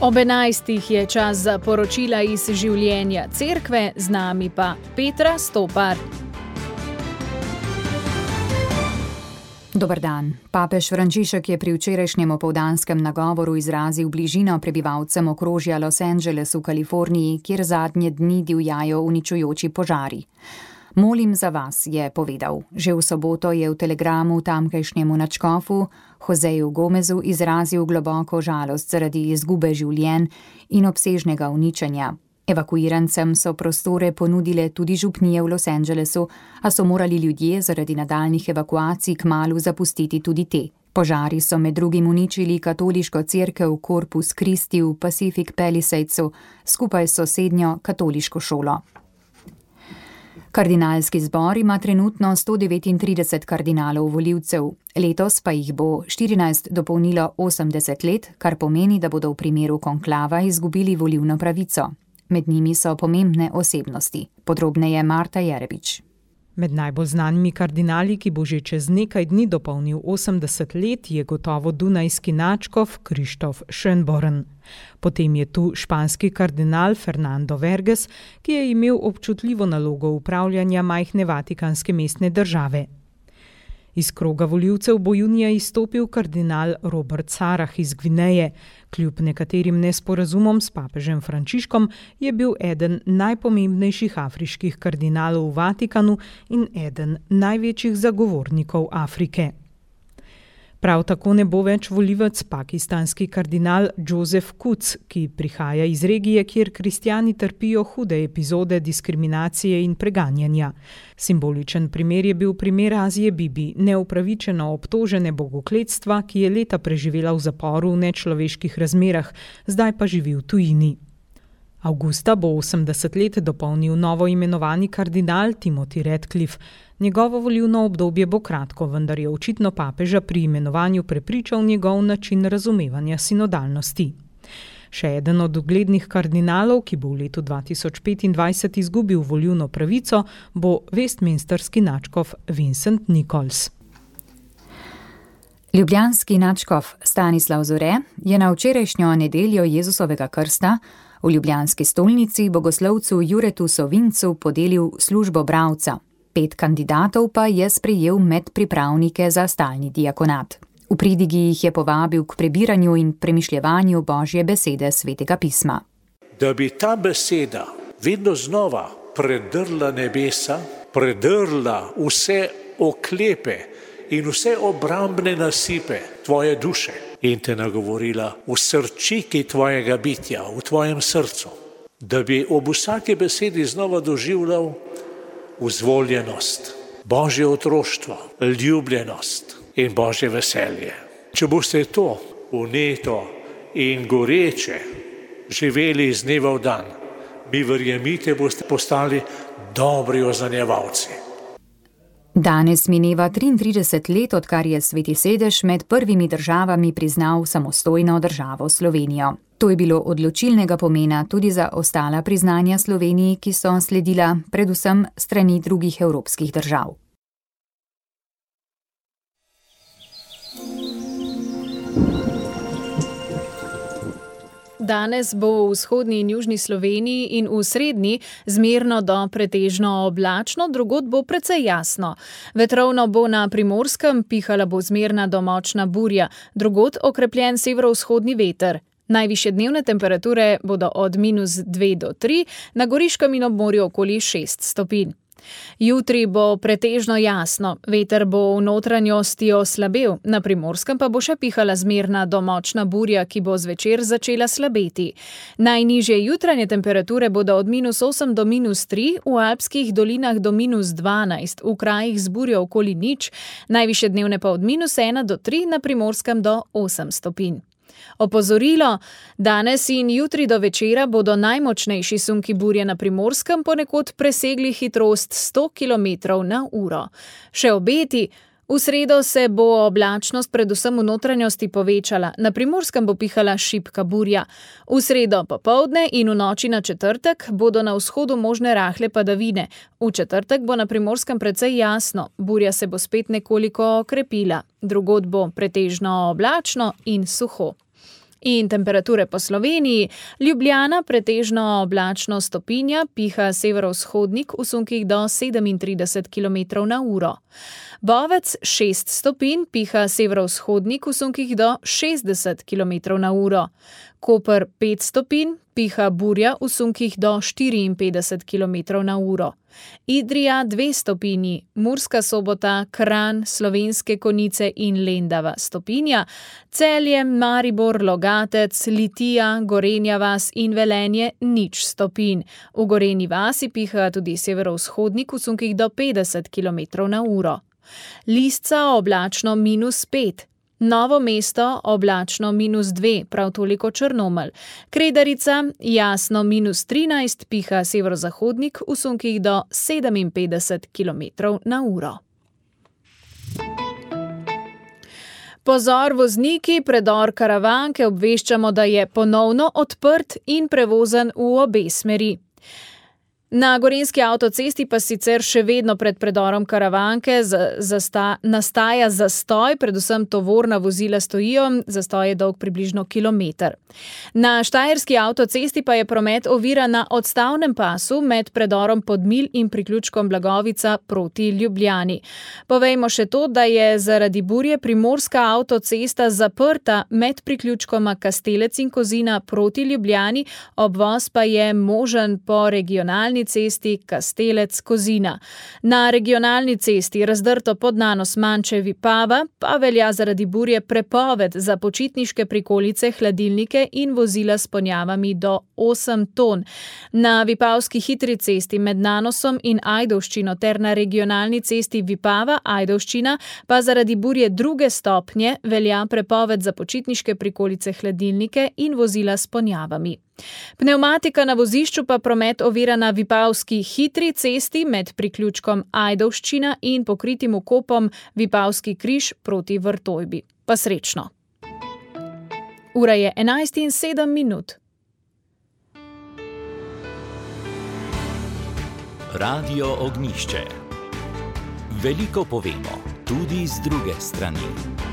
Ob 11. je čas za poročila iz življenja cerkve, z nami pa Petra Stopar. Dober dan. Papež Frančišek je pri včerajšnjem opoldanskem nagovoru izrazil bližino prebivalcem okrožja Los Angeles v Kaliforniji, kjer zadnje dni divjajo uničujoči požari. Molim za vas, je povedal. Že v soboto je v telegramu tamkajšnjemu nadškofu Joseju Gomezu izrazil globoko žalost zaradi izgube življenj in obsežnega uničenja. Evakuirancem so prostore ponudile tudi župnije v Los Angelesu, a so morali ljudje zaradi nadaljnjih evakuacij kmalu zapustiti tudi te. Požari so med drugim uničili katoliško cerkev Corpus Christi v Pacific Palisadesu skupaj s sosednjo katoliško šolo. Kardinalski zbor ima trenutno 139 kardinalov volivcev, letos pa jih bo 14 dopolnilo 80 let, kar pomeni, da bodo v primeru konklava izgubili volilno pravico. Med njimi so pomembne osebnosti. Podrobneje Marta Jerebič. Med najbolj znanimi kardinali, ki bo že čez nekaj dni dopolnil 80 let, je gotovo dunajski nadškof Krištof Schönborn. Potem je tu španski kardinal Fernando Verges, ki je imel občutljivo nalogo upravljanja majhne vatikanske mestne države. Iz kroga volivcev bo junija izstopil kardinal Robert Sarah iz Gvineje. Kljub nekaterim nesporazumom s papežem Frančiškom je bil eden najpomembnejših afriških kardinalov v Vatikanu in eden največjih zagovornikov Afrike. Prav tako ne bo več volivec pakistanski kardinal Joseph Quds, ki prihaja iz regije, kjer kristjani trpijo hude epizode diskriminacije in preganjanja. Simboličen primer je bil primer Azije Bibi, neupravičeno obtožene bogokletstva, ki je leta preživela v zaporu v nečloveških razmerah, zdaj pa živi v tujini. Avgusta bo 80 let dopolnil novo imenovani kardinal Timothy Ratcliffe. Njegovo volilno obdobje bo kratko, vendar je očitno papeža pri imenovanju prepričal njegov način razumevanja sinodalnosti. Še eden od uglednih kardinalov, ki bo v letu 2025 izgubil volilno pravico, bo westminsterski nadškof Vincent Nichols. Ljubljanski nadškof Stanislav Zore je na včerajšnjo nedeljo Jezusovega krsta v ljubljanski stolnici bogoslovcu Juretu Sovincu podelil službo bralca. 5 kandidatov pa je sprejel med pripravnike za stalni diakonat. V pridigi jih je povabil k prebiranju in premišljevanju Božje besede Svetega pisma. Da bi ta beseda vedno znova predrla nebesa, predrla vse oklepe in vse obrambne nasipe tvoje duše in te nagovorila v srčiki tvojega bitja, v tvojem srcu. Da bi ob vsaki besedi znova doživljal vzvoljenost, Božje otroštvo, ljubljenost in Božje veselje. Če boste to vneto in goreče živeli iz dneva v dan, mi verjemite, boste postali dobri ozanjevalci. Danes mineva 33 let, odkar je Sveti sedež med prvimi državami priznal samostojno državo Slovenijo. To je bilo odločilnega pomena tudi za ostala priznanja Sloveniji, ki so sledila predvsem strani drugih evropskih držav. Danes bo v vzhodni in južni Sloveniji in v srednji zmerno do pretežno oblačno, drugod bo precej jasno. Vetrovno bo na Primorskem, pihala bo zmerna do močna burja, drugod okrepljen severovzhodni veter. Najvišje dnevne temperature bodo od -2 do 3, na Goriškem in ob morju okoli 6 stopinj. Jutri bo pretežno jasno, veter bo v notranjosti oslabel, na Primorskem pa bo še pihala zmerna do močna burja, ki bo zvečer začela slabeti. Najnižje jutranje temperature bodo od -8 do -3, v alpskih dolinah do -12, v krajih z burjo okoli 0, najvišje dnevne pa od -1 do 3, na Primorskem do 8 stopinj. Opozorilo, danes in jutri do večera bodo najmočnejši sunki burje na Primorskem ponekod presegli hitrost 100 km/h. Še obeti, v sredo se bo oblačnost predvsem v notranjosti povečala, na Primorskem bo pihala šibka burja. V sredo popoldne in v noči na četrtek bodo na vzhodu možne rahle padavine. V četrtek bo na Primorskem precej jasno, burja se bo spet nekoliko okrepila, drugod bo pretežno oblačno in suho. In temperature po Sloveniji: Ljubljana pretežno oblačno stopinja, piha severovzhodnik v sunkih do 37 km/h. Bovec 6 stopinj, piha severovzhodnik v sunkih do 60 km/h. Koper 5 stopinj, piha burja v sunkih do 54 km/h. Idrija 2 stopinji, Murska Sobota, Kranj, Slovenske Konjice in Lendava stopinja, Celje, Maribor, Logatec, Litija, Gorenja vas in Velenje 0 stopinj. V Gorenji vasi piha tudi severovzhodnik v sunkih do 50 km/h. Lisca oblačno -5, Novo mesto oblačno -2, prav toliko Črnomelj. Kredarica jasno -13, piha severozahodnik v sunkih do 57 km/h. Pozor vozniki, predor Karavanke obveščamo, da je ponovno odprt in prevozen v obe smeri. Na gorenjski avtocesti pa sicer še vedno pred predorom Karavanke nastaja zastoj, predvsem tovorna vozila stojijo, zastoj je dolg približno kilometer. Na štajerski avtocesti pa je promet oviran na odstavnem pasu med predorom Podmilj in priključkom Blagovica proti Ljubljani. Povejmo še to, da je zaradi burje primorska avtocesta zaprta med priključkoma Kastelec in Kozina proti Ljubljani, obvoz pa je možen po regionalni cesti Kastelec-Kozina. Na regionalni cesti razdrto Podnanos Manče-Vipava pa velja zaradi burje prepoved za počitniške prikolice, hladilnike in vozila s ponjavami do 8 ton. Na vipavski hitri cesti med Nanosom in Ajdovščino ter na regionalni cesti Vipava-Ajdovščina pa zaradi burje 2. stopnje velja prepoved za počitniške prikolice, hladilnike in vozila s ponjavami. Pnevmatika na vozišču pa promet ovira na vipavski hitri cesti med priključkom Ajdovščina in pokritim vkopom Vipavski križ proti Vrtojbi. Pa srečno! Ura je 11:07. Radio Ognjišče. Veliko povemo, tudi z druge strani.